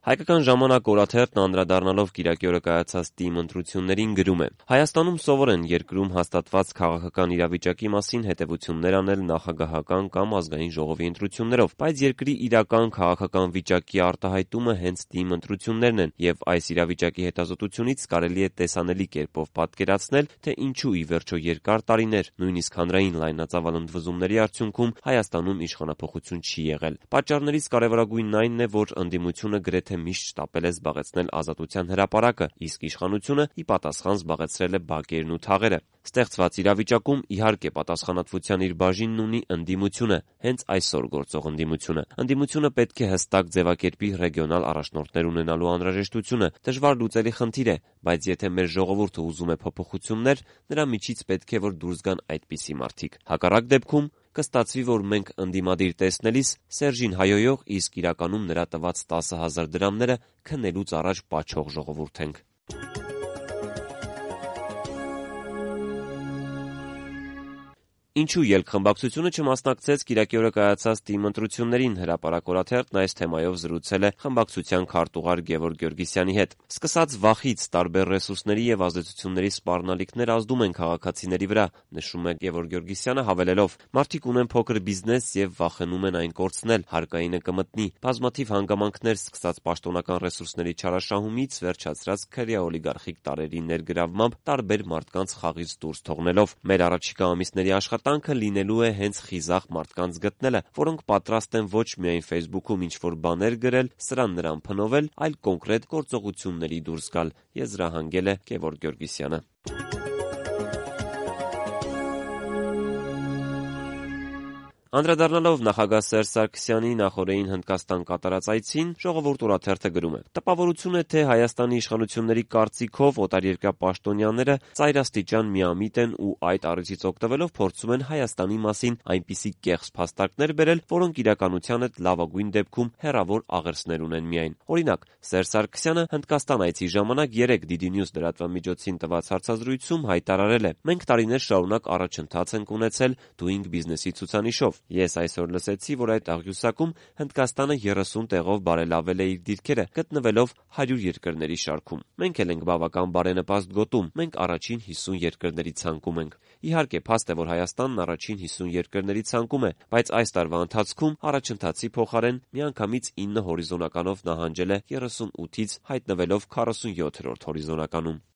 Հայկական ժամանակ օրաթերթն անդրադառնալով կիրակի օրը կայացած ՏԻՄ ընտրություններին գրում է. Հայաստանում սովոր են երկրում հաստատված քաղաքական իրավիճակի մասին հետևություններ անել նախագահական կամ ազգային ժողովի ընտրություններով, բայց երկրի իրական քաղաքական վիճակի արտահայտումը հենց ՏԻՄ ընտրություններն են, եւ այս իրավիճակի հետազոտությունից կարելի է տեսանելի կերպով պատկերացնել, թե ինչու ի վերջո երկար տարիներ, նույնիսկ հանրային լայնածավալ ընդվզումների արդյունքում Հայաստանում իշխանափոխություն չի եղել։ Պատճառներից կարևորագույնն այն է, որ ընդդիմությունը գրեթե միշտ շտապել է զբաղեցնել ազատության հրապարակը, իսկ իշխանությունը ի պատասխան զբաղեցրել է բակերն ու թաղերը։ Ստեղծված իրավիճակում իհարկե պատասխանատվության իր բաժինն ունի ընդդիմությունը, հենց այսօր գործող ընդդիմությունը։ Ընդդիմությունը պետք է հստակ ձևակերպի ռեգիոնալ առաջնորդներ ունենալու անհրաժեշտությունը։ Դժվար լուծելի խնդիր է, բայց եթե մեր ժողովուրդը ուզում է փոփոխություններ, նրա միջից պետք է որ դուրս գան այդպիսի մարդիկ։ Հակառակ դեպքում կստացվի, որ մենք ընդդիմադիր տեսնելիս Սերժին հայհոյող, իսկ իրականում նրա տված 10,000 դրամները քնելուց առաջ պաչող ժողովուրդ ենք։ Ինչու ելքխմբակցությունը չմասնակցեց կիրակի օրը կայացած ՏԻՄ ընտրություններին, հրապարակ օրաթերթն այս թեմայով զրուցել է խմբակցության քարտուղար Գևորգ Գյորգիսյանի հետ։ Սկսած վախից տարբեր ռեսուրսների եւ ազդեցությունների սպառնալիքներ ազդում են քաղաքացիների վրա, նշում է Գևորգ Գյորգիսյանը, հավելելով. մարդիկ ունեն փոքր բիզնես եւ վախենում են այն կորցնել, հարկայինը կմտնի, բազմաթիվ հանգամանքներ սկսած պաշտոնական ռեսուրսների չարաշահումից, վերջացրած քրեա օլիգարխիկ տարրերի ներգրավմամբ տարբեր մարդկանց խաղից դուրս թողնելով։ Մեր առաջիկա ամիսների աշխատանքը լինելու է հենց խիզախ մարդկանց գտնելը, որոնք պատրաստ են ոչ միայն Facebook-ում ինչ-որ բաներ գրել, սրան-նրան փնովել, այլ կոնկրետ գործողությունների դուրս գալ, եզրահանգել է Գևորգ Գյորգիսյանը։ Անդրադառնալով նախագահ Սերժ Սարգսյանի նախօրեին Հնդկաստան կատարած այցին, Ժողովուրդ օրաթերթը գրում է. տպավորություն է, թե Հայաստանի իշխանությունների կարծիքով օտարերկրյա պաշտոնյաները ծայրաստիճան միամիտ են ու այդ առիթից օգտվելով փորձում են Հայաստանի մասին այնպիսի կեղծ փաստարկներ բերել, որոնք իրականության հետ լավագույն դեպքում հեռավոր աղերսներ ունեն միայն։ Օրինակ, Սերժ Սարգսյանը Հնդկաստան այցի ժամանակ 3 DD News լրատվամիջոցին տված հարցազրույցում հայտարարել է. մենք տարիներ շարունակ առաջընթաց ենք ունեցել Doing Business-ի ցուցանիշով։ Ես այսօր լսեցի, որ այդ աղյուսակում Հնդկաստանը 30 տեղով բարելավել է իր դիրքերը, գտնվելով 100 երկրների շարքում։ Մենք էլ ենք բավական բարենպաստ գոտում, մենք առաջին 50 երկրների ցանկում ենք։ Իհարկե, փաստ է, որ Հայաստանն առաջին 50 երկրների ցանկում է, բայց այս տարվա ընթացքում առաջընթացի փոխարեն միանգամից 9 հորիզոնականով նահանջել է 38-ից, հայտնվելով 47-րդ հորիզոնականում։